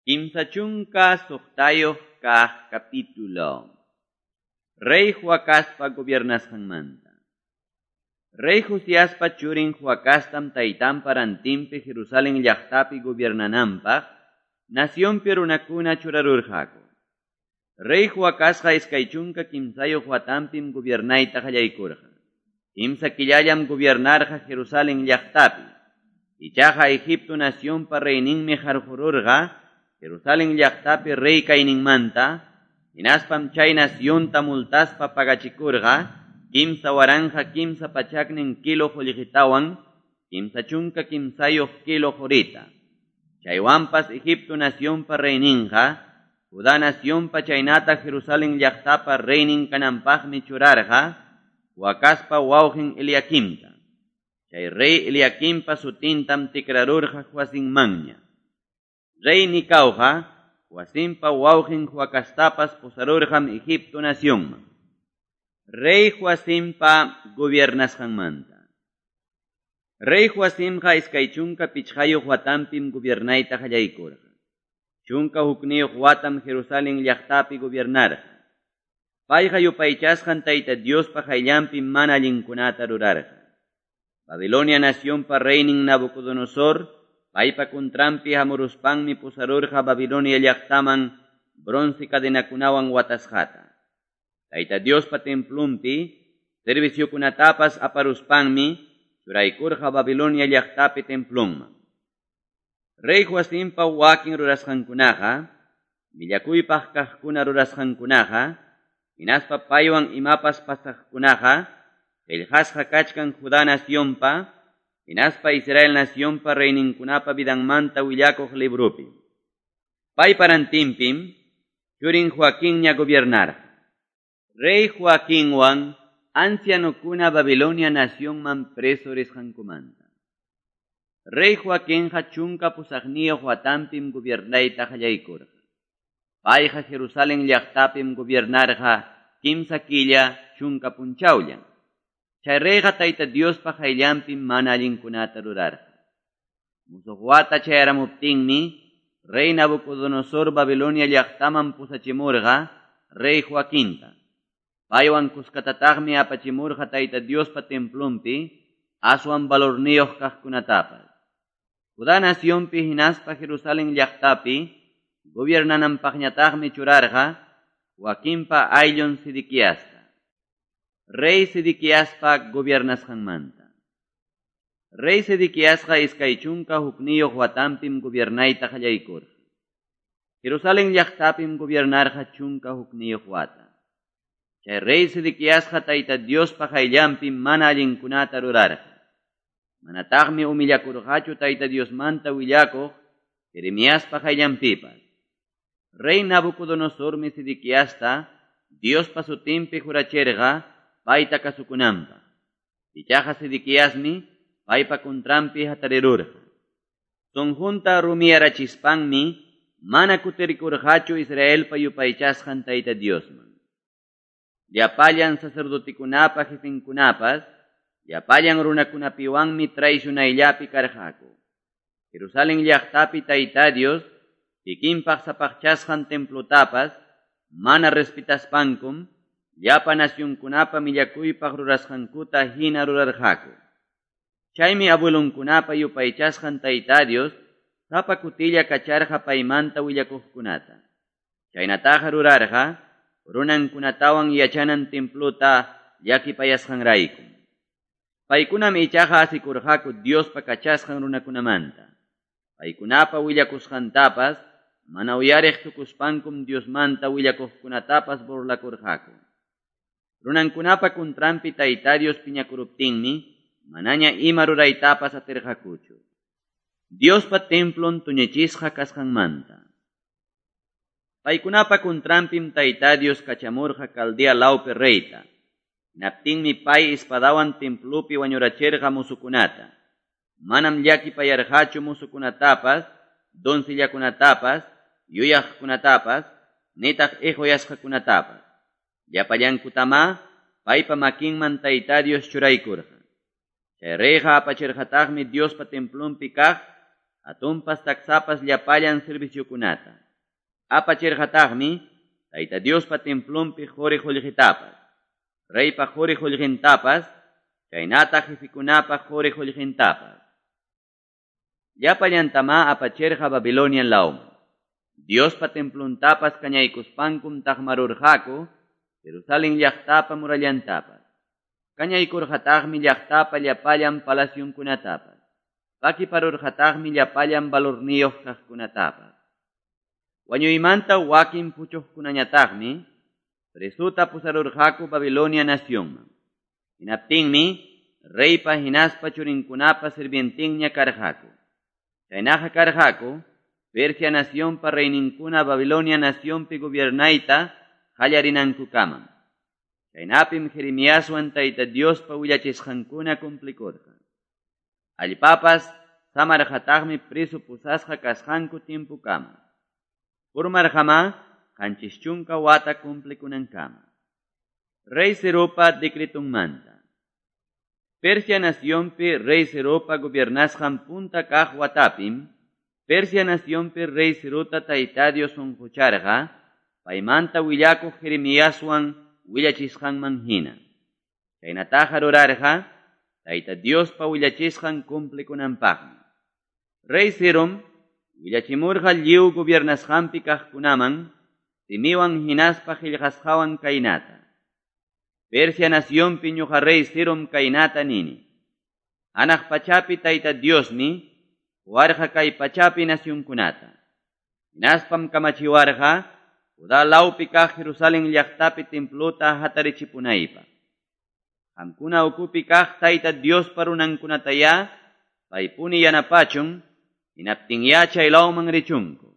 36 kaq capítulo. Rey Joacazpa gobiernasqanmanta. Rey Josiaspa churin Joacaztam taytanpa rantinpi Jerusalén llaqtapi gobiernananpaq nacionpi runakuna churarurqaku. Rey Joacazqa 23 watanpim gobiernayta qallaykurqa. 3 killallam gobiernarqa Jerusalén llaqtapi. Ichaqa Egipto nacionpa reyninmi qarqururqa Jerusalén llaqtapi rey kayninmanta, hinaspam chay nacionta multaspa pagachikurqa 33 kilo qullqitawan 33 kilo qurita. Chaywanpas Egipto nacionpa reyninqa Judá nacionpa chaynata Jerusalén llaqtapa reynin kananpaqmi churarqa Joacazpa wawqin Eliaquimta. Chay rey Eliaquimpa sutintam tikrarurqa Joacinmanña. Rey Nicauqa Joacimpa wawqin Joacaztapas pusarurqam Egipto nacionman. Rey Joacimpa gobiernasqanmanta. Rey Joacimqa 25 watanpim gobiernayta qallaykurqa. 11 watam Jerusalén llaqtapi gobiernarqa. Payqa yupaychasqan Tayta Diospa qayllanpi mana allinkunata rurarqa. Babilonia nacionpa reynin Nabucodonosor paypa kuntranpi hamuruspanmi pusarurqa Babilonia llaqtaman bronce cadenakunawan watasqata. Tayta Diospa templunpi serviciokunatapas aparuspanmi churaykurqa Babilonia llaqtapi templunman. Rey Joacimpa wakin rurasqankunaqa, millakuypaq kaqkuna rurasqankunaqa, hinaspa paywan imapas pasaqkunaqa, qillqasqa kachkan Judá nacionpa, hinaspa Israel nacionpa reyninkunapa vidanmanta willakuq librupi. Paypa rantinpim churin Joaquinña gobiernarqa. Rey Joaquinwan ancianokuna Babilonia nacionman preso risqankumanta. Rey Joaquinqa 18 watanpim gobiernayta qallaykurqa. Payqa Jerusalén llaqtapim gobiernarqa 3 killa 10 punchawllan. Chay reyqa Tayta Diospa qayllanpim mana allinkunata rurarqa. Musuq wata chayaramuptinmi rey Nabucodonosor Babilonia llaqtaman pusachimurqa rey Joaquinta. Paywan kuskatataqmi apachimurqa Tayta Diospa templunpi aswan valorniyuq kaqkunatapas. Judá nacionpi hinaspa Jerusalén llaqtapi gobiernananpaqñataqmi churarqa Joaquinpa ayllun Sedequiasta. Rey Sedequiaspa gobiernasqanmanta. Rey Sedequiasqa 21 watanpim gobiernayta qallaykurqa. Jerusalén llaqtapim gobiernarqa 11 wata. Chay rey Sedequiasqa Tayta Diospa qayllanpim mana allinkunata rurarqa. Manataqmi humillakurqachu Tayta Diosmanta willakuq Jeremiaspa qayllanpipas. Rey Nabucodonosormi Sedequiasta Diospa sutinpi jurachirqa payta kasukunanpaq. Ichaqa Sedequiasmi paypa kuntranpi hatarirurqa. Sunqunta rumiyarachispanmi mana kutirikurqachu Israelpa yupaychasqan Tayta Diosman. Llapallan sacerdotekunapa jefenkunapas, llapallan runakunapiwanmi traicionayllapi karqaku. Jerusalén llaqtapi Tayta Dios kikinpaq sapaqchasqan templotapas mana respetaspankum llapa nacionkunapa millakuypaq rurasqankuta hina rurarqaku. Chaymi abuelonkunapa yupaychasqan Tayta Dios sapa kutilla kacharqa paymanta willakuqkunata. Chaynataqa rurarqa runankunatawan yachanan templota llakipayasqanrayku. Paykunam ichaqa asikurqaku Diospa kachasqan runakunamanta. Paykunapa willakusqantapas mana uyariq tukuspankum Diosmanta willakuqkunatapas burlakurqaku. Runankunapa kuntranpi Tayta Dios piñakuruptinmi manaña ima ruraytapas atirqakuchu. Diospa templon tuñichisqa kasqanmanta. Paykunapa kuntranpim Tayta Dios kachamurqa Caldea lawpi reyta. Hinaptinmi pay espadawan templopi wañurachirqa musukunata. Manam llakipayarqachu musukunatapas, doncellakunatapas, yuyaqkunatapas, nitaq iquyasqakunatapas. Llapallankutamá paypa makinman Tayta Dios churaykurqa. Chay reyqa apachirqataqmi Diospa templunpi kaq hatunpas taksapas llapallan serviciokunata. Apachirqataqmi Tayta Diospa templonpi qori-qollqetapas, reypa qori-qollqentapas, chaynataq jefekunapa qori-qollqentapas. Llapallantamá apachirqa Babilonia lawman. Diospa templontapas kañaykuspankum taqmarurqaku Jerusalén llaqtapa murallantapas. Kañaykurqataqmi llaqtapa llapallan palacionkunatapas. Pakiparurqataqmi llapallan valorniyuq kaqkunatapas. Wañuymanta wakin puchuqkunañataqmi presuta pusarurqaku Babilonia nacionman. Hinaptinmi reypa hinaspa churinkunapa sirvientinña karqaku. Chaynaqa karqaku Persia nacionpa reyninkuna Babilonia nacionpi gobiernayta qallarinankukama. Chaynapim Jeremiaswan Tayta Diospa willachisqankuna cumplikurqa. Allpapas samarqataqmi preso pusasqa kasqanku tiempokama. Purmarqamá 70 wata cumplikunankama. Rey Ciropa decretunmanta. Persia nacionpi rey Ciropa gobiernasqan punta kaq watapim, Persia nacionpi rey Cirota Tayta Dios sunqucharqa, paymanta willakuq Jeremiaswan willachisqanman hina. Chaynataqa rurarqa, Tayta Diospa willachisqan cumplikunanpaqmi. Rey Cirom willachimurqa lliw gobiernasqanpi kaqkunaman, simiwan hinaspa qillqasqawan kaynata. Persia nacionpi ñuqa rey Cirom kaynata nini. Hanaq pachapi Tayta Diosmi warqa kay pachapi nacionkunata. Hinaspam kamachiwarqa Judá lawpi kaq Jerusalén llaqtapi templota hatarichipunaypaq. Qamkuna ukupi kaq Tayta Diospa runankunatayá paypuni yanapachun, hinaptinyá chay lawman richunku.